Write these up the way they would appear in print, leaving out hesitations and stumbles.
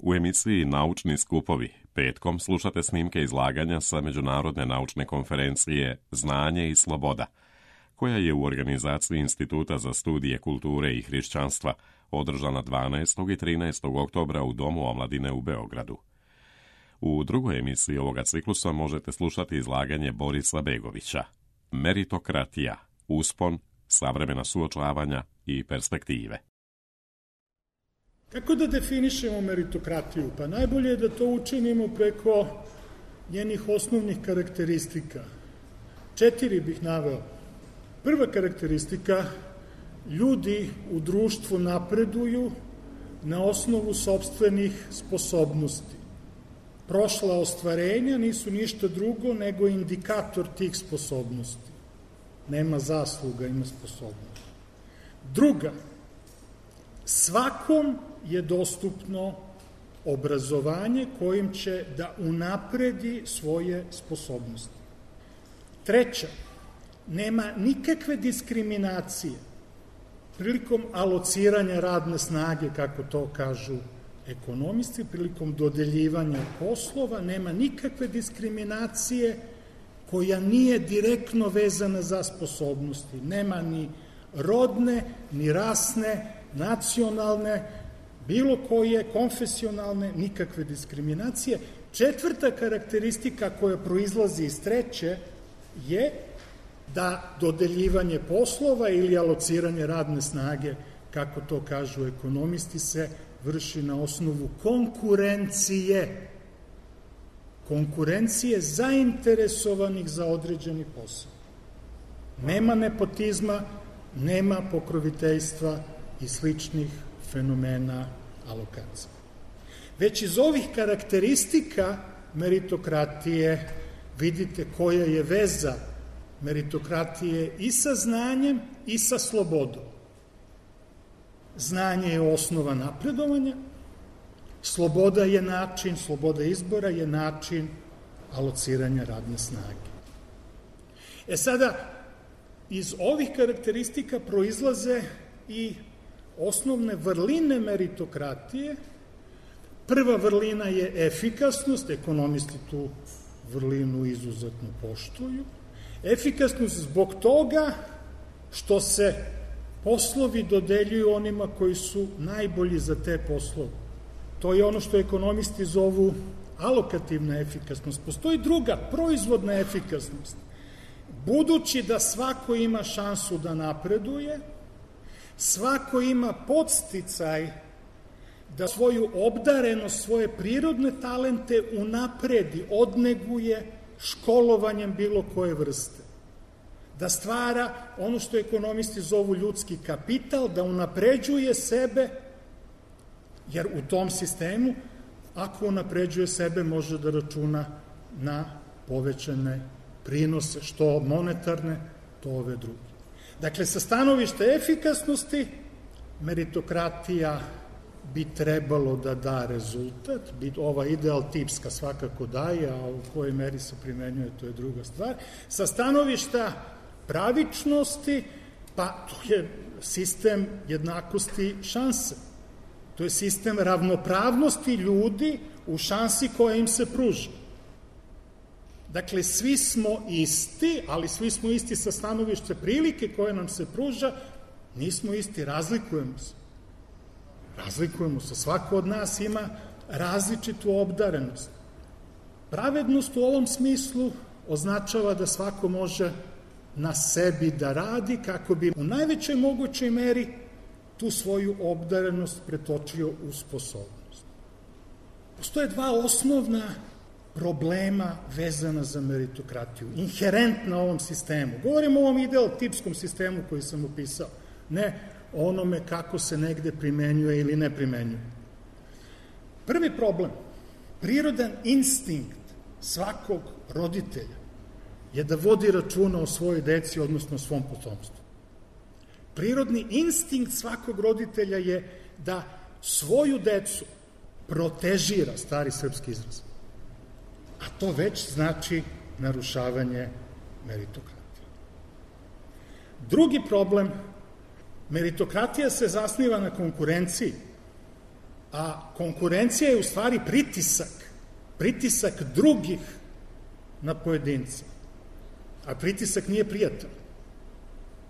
U emisiji Naučni skupovi petkom slušate snimke izlaganja sa Međunarodne naučne konferencije Znanje i sloboda, koja je u organizaciji Instituta za studije kulture i hrišćanstva održana 12. i 13. oktobra u Domu omladine u Beogradu. U drugoj emisiji ovoga ciklusa možete slušati izlaganje Borisa Begovića Meritokratija, uspon, savremena suočavanja i perspektive. Kako da definišemo meritokratiju? Pa najbolje je da to učinimo preko njenih osnovnih karakteristika. 4 bih naveo. Prva karakteristika, ljudi u društvu napreduju na osnovu sopstvenih sposobnosti. Prošla ostvarenja nisu ništa drugo nego indikator tih sposobnosti. Nema zasluga, ima sposobnost. Druga, svakom je dostupno obrazovanje kojim će da unapredi svoje sposobnosti. Treća, nema nikakve diskriminacije prilikom alociranja radne snage, kako to kažu ekonomisti, prilikom dodeljivanja poslova, nema nikakve diskriminacije koja nije direktno vezana za sposobnosti. Nema ni rodne, ni rasne, nacionalne, bilo koje, konfesionalne, nikakve diskriminacije. Četvrta karakteristika koja proizlazi iz treće je da dodeljivanje poslova ili alociranje radne snage, kako to kažu ekonomisti, se vrši na osnovu konkurencije. Konkurencije zainteresovanih za određeni posao. Nema nepotizma, nema pokroviteljstva i sličnih fenomena alokacije. Već iz ovih karakteristika meritokratije vidite koja je veza meritokratije i sa znanjem i sa slobodom. Znanje je osnova napredovanja, sloboda je način, sloboda izbora je način alociranja radne snage. Sada, iz ovih karakteristika proizlaze i osnovne vrline meritokratije. Prva vrlina je efikasnost, ekonomisti tu vrlinu izuzetno poštuju. Efikasnost zbog toga što se poslovi dodeljuju onima koji su najbolji za te poslove. To je ono što ekonomisti zovu alokativna efikasnost. Postoji druga, proizvodna efikasnost. Budući da svako ima šansu da napreduje, svako ima podsticaj da svoju obdarenost, svoje prirodne talente unapredi, odneguje školovanjem bilo koje vrste. Da stvara ono što ekonomisti zovu ljudski kapital, da unapređuje sebe, jer u tom sistemu, ako unapređuje sebe, može da računa na povećane prinose, što monetarne, to ove druge. Dakle, sa stanovišta efikasnosti, meritokratija bi trebalo da da rezultat, ova ideal tipska svakako daje, a u kojoj meri se primenjuje, to je druga stvar. Sa stanovišta pravičnosti, pa to je sistem jednakosti šanse. To je sistem ravnopravnosti ljudi u šansi koja im se pruža. Dakle, svi smo isti, ali svi smo isti sa stanovišta prilike koje nam se pruža, nismo isti, razlikujemo se. Razlikujemo se, svako od nas ima različitu obdarenost. Pravednost u ovom smislu označava da svako može na sebi da radi kako bi u najvećoj mogućoj meri tu svoju obdarenost pretočio u sposobnost. Postoje dva osnovna problema vezana za meritokratiju, inherentna ovom sistemu. Govorimo o ovom ideal-tipskom sistemu koji sam opisao, ne o onome kako se negde primenjuje ili ne primenjuje. Prvi problem, prirodan instinkt svakog roditelja je da vodi računa o svojoj deci, odnosno o svom potomstvu. Prirodni instinkt svakog roditelja je da svoju decu protežira, stari srpski izraz. A to već znači narušavanje meritokratije. Drugi problem, meritokratija se zasniva na konkurenciji. A konkurencija je u stvari pritisak drugih na pojedinca. A pritisak nije prijatelj.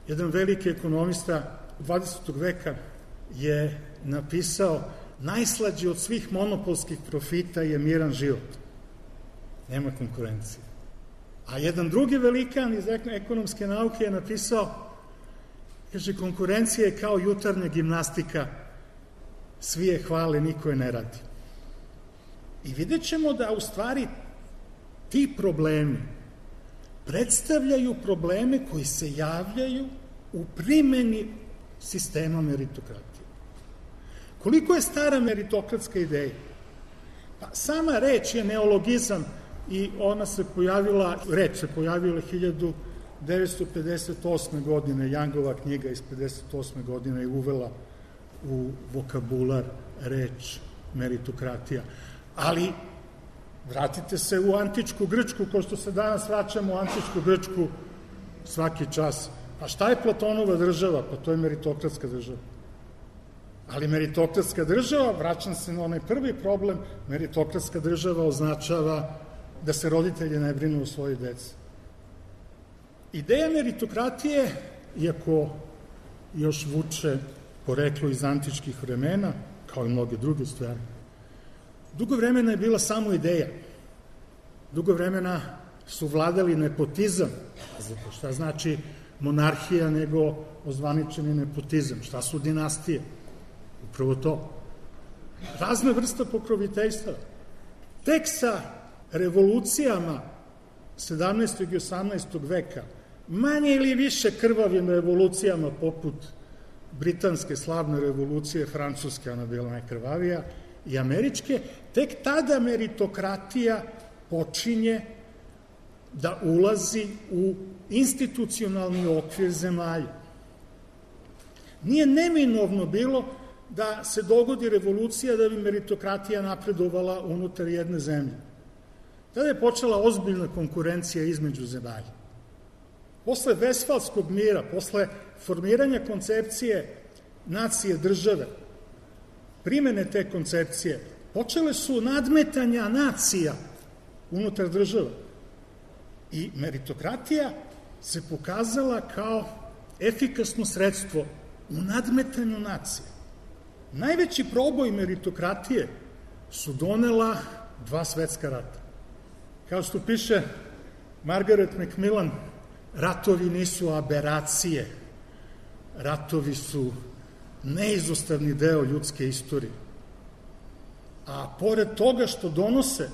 Jedan veliki ekonomista 20. veka je napisao: najslađi od svih monopolskih profita je miran život. Nema konkurencije. A jedan drugi velikan iz ekonomske nauke je napisao, kaže, konkurencija je kao jutarnja gimnastika, svi je hvale, niko je ne radi. I vidjet ćemo da u stvari ti problemi predstavljaju probleme koji se javljaju u primeni sistema meritokratije. Koliko je stara meritokratska ideja? Pa sama reč je neologizam i ona se pojavila 1958. godine, Youngova knjiga iz 58. godine je uvela u vokabular reč meritokratija. Ali vratite se u antičku Grčku, kao što se danas vraćamo u antičku Grčku svaki čas. Pa šta je Platonova država? Pa to je meritokratska država. Ali meritokratska država, vraćam se na onaj prvi problem, meritokratska država označava da se roditelji ne brinu o svojoj deci. Ideja meritokratije, iako još vuče poreklo iz antičkih vremena, kao i mnoge druge stvari, dugo vremena je bila samo ideja. Dugo vremena su vladali nepotizam. Zato šta znači monarhija nego ozvaničeni nepotizam? Šta su dinastije? Upravo to. Razna vrsta pokroviteljstva. Tek sa revolucijama 17. i 18. veka, manje ili više krvavim revolucijama poput britanske slavne revolucije, francuske, ona bila najkrvavija, i američke, tek tada meritokratija počinje da ulazi u institucionalni okvir zemalja. Nije neminovno bilo da se dogodi revolucija da bi meritokratija napredovala unutar jedne zemlje. Tada je počela ozbiljna konkurencija između zemalja. Posle Vesfalskog mira, posle formiranja koncepcije nacije države, primene te koncepcije, počele su nadmetanja nacija unutar država. I meritokratija se pokazala kao efikasno sredstvo u nadmetanju nacije. Najveći proboj meritokratije su donela 2 svetska rata. Kao što piše Margaret Macmillan, ratovi nisu aberacije, ratovi su neizostavni deo ljudske istorije. A pored toga što donose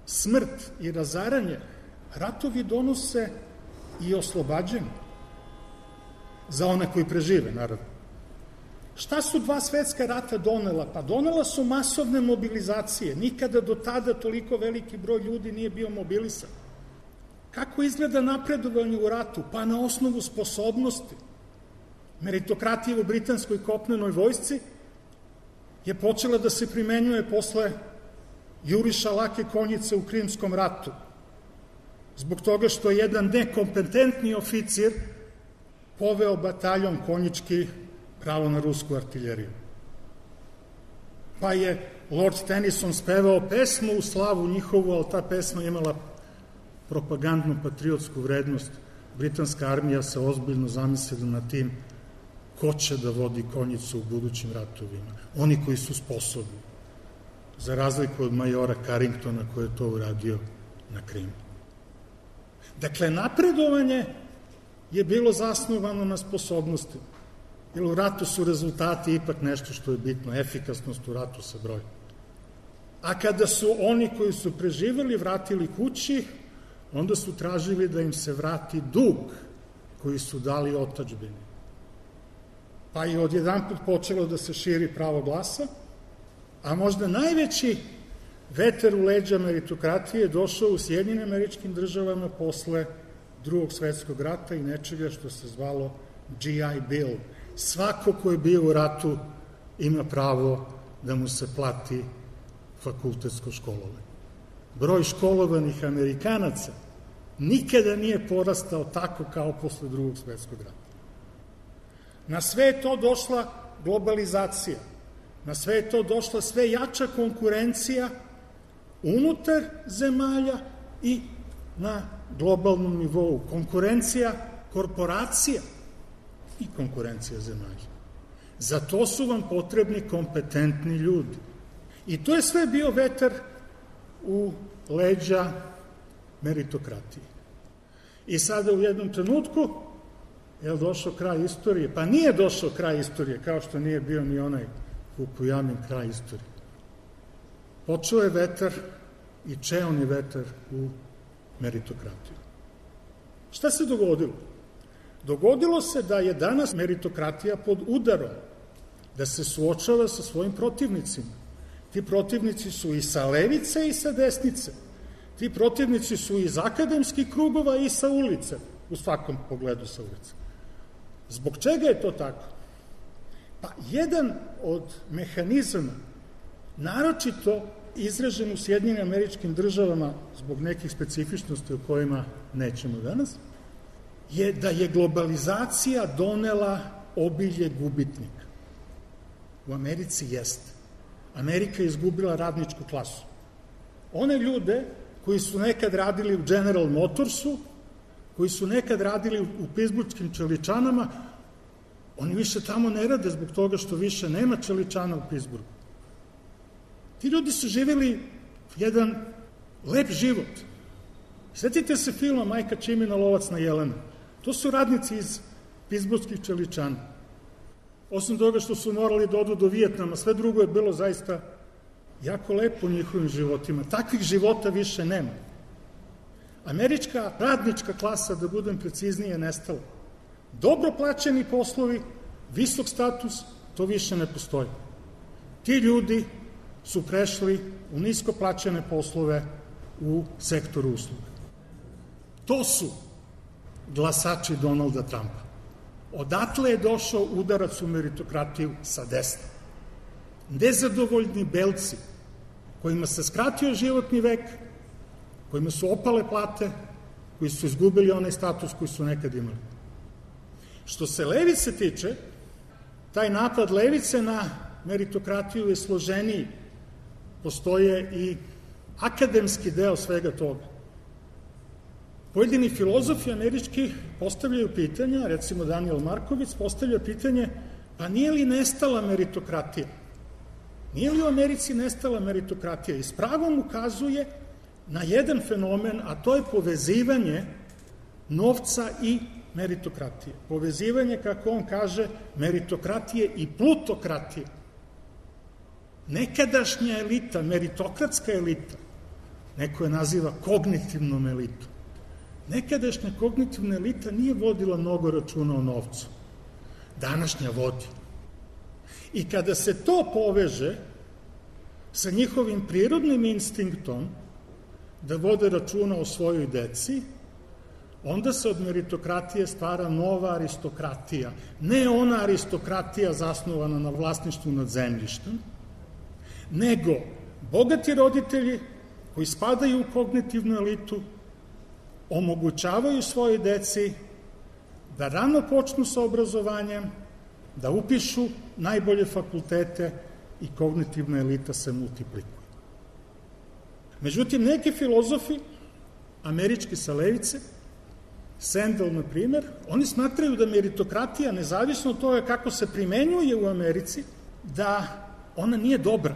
smrt i razaranje, ratovi donose i oslobađanje za one koji prežive, naravno. Šta su 2 svetska rata donela? Pa donela su masovne mobilizacije. Nikada do tada toliko veliki broj ljudi nije bio mobilisan. Kako izgleda napredovanje u ratu? Pa na osnovu sposobnosti. Meritokratija u britanskoj kopnenoj vojsci je počela da se primenjuje posle juriša lake konjice u Krimskom ratu. Zbog toga što je jedan nekompetentni oficir poveo bataljon konjički pravo na rusku artiljeriju. Pa je Lord Tennyson spevao pesmu u slavu njihovu, ali ta pesma imala propagandnu patriotsku vrednost. Britanska armija se ozbiljno zamislila na tim ko će da vodi konjicu u budućim ratovima. Oni koji su sposobni. Za razliku od majora Carringtona koji je to uradio na Krimu. Dakle, napredovanje je bilo zasnovano na sposobnosti. Jer u ratu su rezultati ipak nešto što je bitno, efikasnost u ratu se broji. A kada su oni koji su preživeli vratili kući, onda su tražili da im se vrati dug koji su dali otadžbini. Pa je odjedanput počelo da se širi pravo glasa, a možda najveći veter u leđa meritokratije je došao u Sjedinjenim Američkim Državama posle Drugog svetskog rata i nečega što se zvalo GI Bill. Svako ko je bio u ratu ima pravo da mu se plati fakultetsko školovanje. Broj školovanih Amerikanaca nikada nije porastao tako kao posle Drugog svetskog rata. Na sve je to došla globalizacija. Na sve je to došla sve jača konkurencija unutar zemalja i na globalnom nivou. Konkurencija korporacija i konkurencija zemalja. Za to su vam potrebni kompetentni ljudi. I to je sve bio vetar u leđa meritokratije. I sada u jednom trenutku je došao kraj istorije. Pa nije došao kraj istorije, kao što nije bio ni onaj Fukujamin kraj istorije. Počeo je vetar i čeoni vetar u meritokratiju. Šta se dogodilo? Dogodilo se da je danas meritokratija pod udarom, da se suočava sa svojim protivnicima. Ti protivnici su i sa levice i sa desnice. Ti protivnici su iz akademskih krugova i sa ulice, u svakom pogledu sa ulice. Zbog čega je to tako? Pa jedan od mehanizama, naročito izražen u Sjedinjenim Američkim Državama zbog nekih specifičnosti o kojima nećemo danas, je da je globalizacija donela obilje gubitnika. U Americi jeste. Amerika je izgubila radničku klasu. One ljude koji su nekad radili u General Motorsu, koji su nekad radili u Pittsburghskim čeličanama, oni više tamo ne rade zbog toga što više nema čeličana u Pittsburghu. Ti ljudi su živjeli jedan lep život. Sjetite se filma Majka Čimina Lovac na jelena. To su radnici iz Pittsburghskih čeličana. Osim toga što su morali da odu do Vijetnama, sve drugo je bilo zaista jako lepo u njihovim životima. Takvih života više nema. Američka radnička klasa, da budem preciznije, je nestala. Dobro plaćeni poslovi, visok status, to više ne postoji. Ti ljudi su prešli u nisko plaćene poslove u sektoru usluga. To su glasači Donalda Trumpa. Odatle je došao udarac u meritokratiju sa desna. Nezadovoljni belci, kojima se skratio životni vek, kojima su opale plate, koji su izgubili onaj status koji su nekad imali. Što se levice tiče, taj napad levice na meritokratiju je složeniji. Postoje i akademski deo svega toga. Pojedini filozofi američki postavljaju pitanja, recimo Daniel Marković postavlja pitanje, pa nije li nestala meritokratija? Nije li u Americi nestala meritokratija? I s pravom ukazuje na jedan fenomen, a to je povezivanje novca i meritokratije. Povezivanje, kako on kaže, meritokratije i plutokratije. Nekadašnja elita, meritokratska elita, neko je naziva kognitivnom elitom. Nekadašnja kognitivna elita nije vodila mnogo računa o novcu. Današnja vodi. I kada se to poveže sa njihovim prirodnim instinktom da vode računa o svojoj deci, onda se od meritokratije stvara nova aristokratija. Ne ona aristokratija zasnovana na vlasništvu nad zemljištem, nego bogati roditelji koji spadaju u kognitivnu elitu omogućavaju svojoj deci da rano počnu sa obrazovanjem, da upišu najbolje fakultete i kognitivna elita se multiplikuje. Međutim, neki filozofi, američki sa levice, Sandel, na primer, oni smatraju da meritokratija, nezavisno od toga kako se primenjuje u Americi, da ona nije dobra.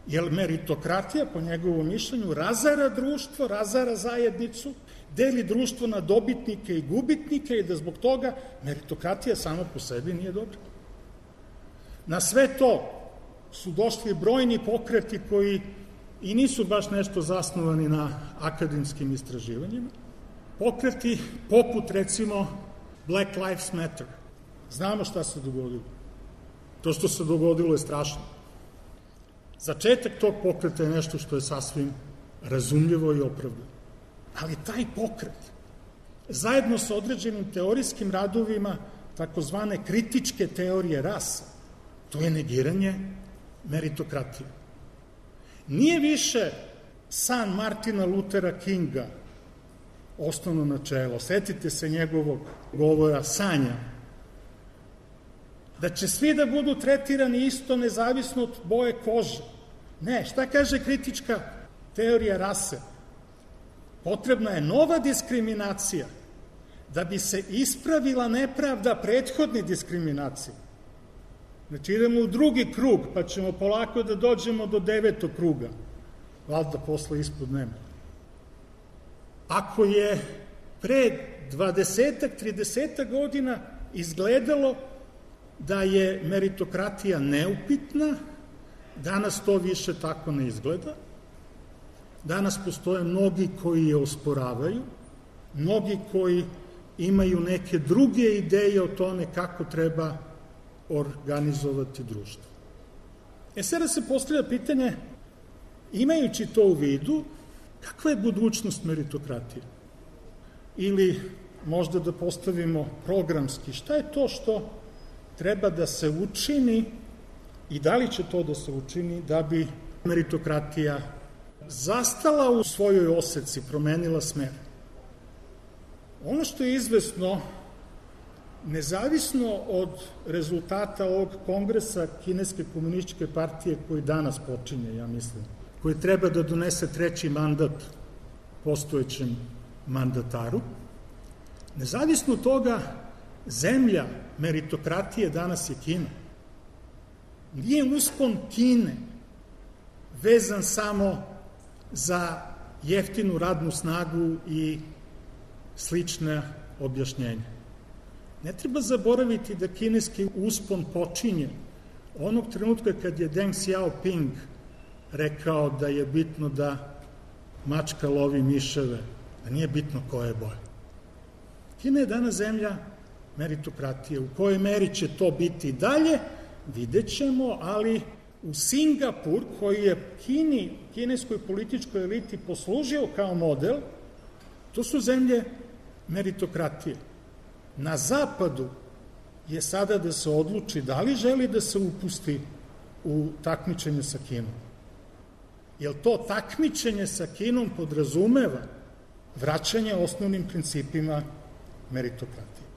Jer meritokratija, po njegovom mišljenju, razara društvo, razara zajednicu, deli društvo na dobitnike i gubitnike i da zbog toga meritokratija sama po sebi nije dobra. Na sve to su došli brojni pokreti koji i nisu baš nešto zasnovani na akademskim istraživanjima. Pokreti poput, recimo, Black Lives Matter. Znamo šta se dogodilo. To što se dogodilo je strašno. Začetak tog pokreta je nešto što je sasvim razumljivo i opravdano. Ali taj pokret, zajedno sa određenim teorijskim radovima takozvane kritičke teorije rasa, to je negiranje meritokratije. Nije više san Martina Luthera Kinga osnovno načelo. Setite se njegovog govora Sanja. Da će svi da budu tretirani isto nezavisno od boje kože. Ne, šta kaže kritička teorija rase? Potrebna je nova diskriminacija da bi se ispravila nepravda prethodne diskriminacije. Znači idemo u drugi krug, pa ćemo polako da dođemo do 9. kruga. Valjda posle ispod nema. Ako je pre 20-30 godina izgledalo da je meritokratija neupitna, danas to više tako ne izgleda. Danas postoje mnogi koji je osporavaju, mnogi koji imaju neke druge ideje o tome kako treba organizovati društvo. Sada se postavlja pitanje, imajući to u vidu, kakva je budućnost meritokratije? Ili možda da postavimo programski, šta je to što treba da se učini i da li će to da se učini da bi meritokratija zastala u svojoj oseci, promenila smer? Ono što je izvesno, nezavisno od rezultata ovog kongresa Kineske komunističke partije koji danas počinje, ja mislim, koji treba da donese 3. mandat postojećem mandataru, nezavisno od toga, zemlja meritokratije danas je Kina. Nije uspon Kine vezan samo za jeftinu radnu snagu i slične objašnjenja. Ne treba zaboraviti da kineski uspon počinje onog trenutka kad je Deng Xiaoping rekao da je bitno da mačka lovi miševe, da nije bitno koje boje. Kina je danas zemlja meritokratije. U kojoj meri će to biti dalje, vidjet ćemo, ali u Singapur, koji je kineskoj političkoj eliti poslužio kao model, to su zemlje meritokratije. Na zapadu je sada da se odluči da li želi da se upusti u takmičenje sa Kinom. Jer to takmičenje sa Kinom podrazumeva vraćanje osnovnim principima meritokratije.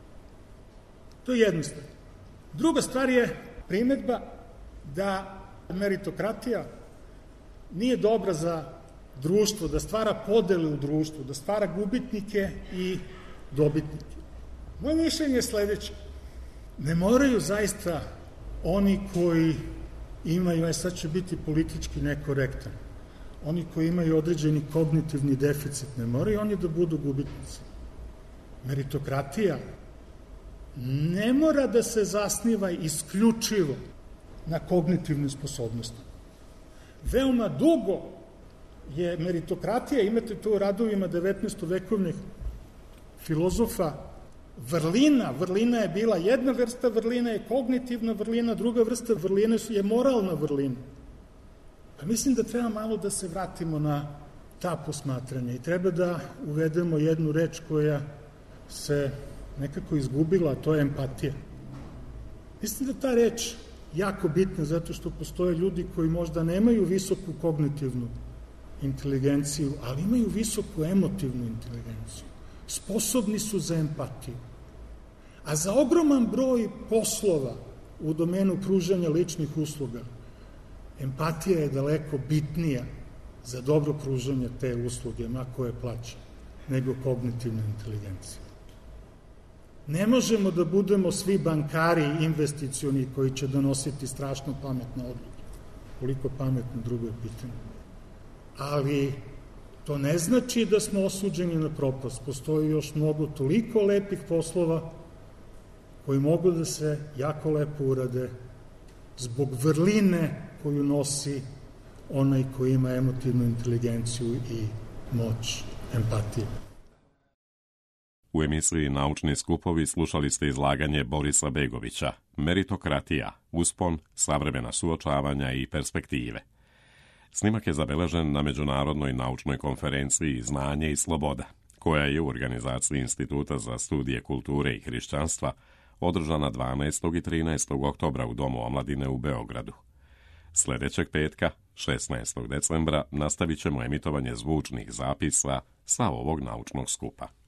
To je jedna stvar. Druga stvar je primetba da meritokratija nije dobra za društvo, da stvara podele u društvu, da stvara gubitnike i dobitnike. Moje mišljenje je sledeće. Ne moraju zaista oni koji imaju, sad će biti politički nekorektan, oni koji imaju određeni kognitivni deficit, ne moraju oni da budu gubitnici. Meritokratija ne mora da se zasniva isključivo na kognitivne sposobnosti. Veoma dugo je meritokratija, imate to u radovima 19-vekovnih filozofa, vrlina. Vrlina je bila jedna vrsta, vrlina je kognitivna vrlina, druga vrsta vrline je moralna vrlina. Pa mislim da treba malo da se vratimo na ta posmatranja i treba da uvedemo jednu reč koja se nekako izgubila, a to je empatija. Mislim da ta reč jako bitna zato što postoje ljudi koji možda nemaju visoku kognitivnu inteligenciju, ali imaju visoku emotivnu inteligenciju. Sposobni su za empatiju. A za ogroman broj poslova u domenu pružanja ličnih usluga, empatija je daleko bitnija za dobro pružanje te usluge, ma koje plaća, nego kognitivna inteligencija. Ne možemo da budemo svi bankari investicioni koji će donositi strašno pametne odluke. Koliko pametno, drugo je pitanje. Ali to ne znači da smo osuđeni na propast. Postoji još mnogo toliko lepih poslova koji mogu da se jako lepo urade zbog vrline koju nosi onaj koji ima emotivnu inteligenciju i moć empatije. U emisiji Naučni skupovi slušali ste izlaganje Borisa Begovića, Meritokratija, uspon, savremena suočavanja i perspektive. Snimak je zabeležen na Međunarodnoj naučnoj konferenciji Znanje i sloboda, koja je u organizaciji Instituta za studije kulture i hrišćanstva održana 12. i 13. oktobra u Domu omladine u Beogradu. Sledećeg petka, 16. decembra, nastavit ćemo emitovanje zvučnih zapisa sa ovog naučnog skupa.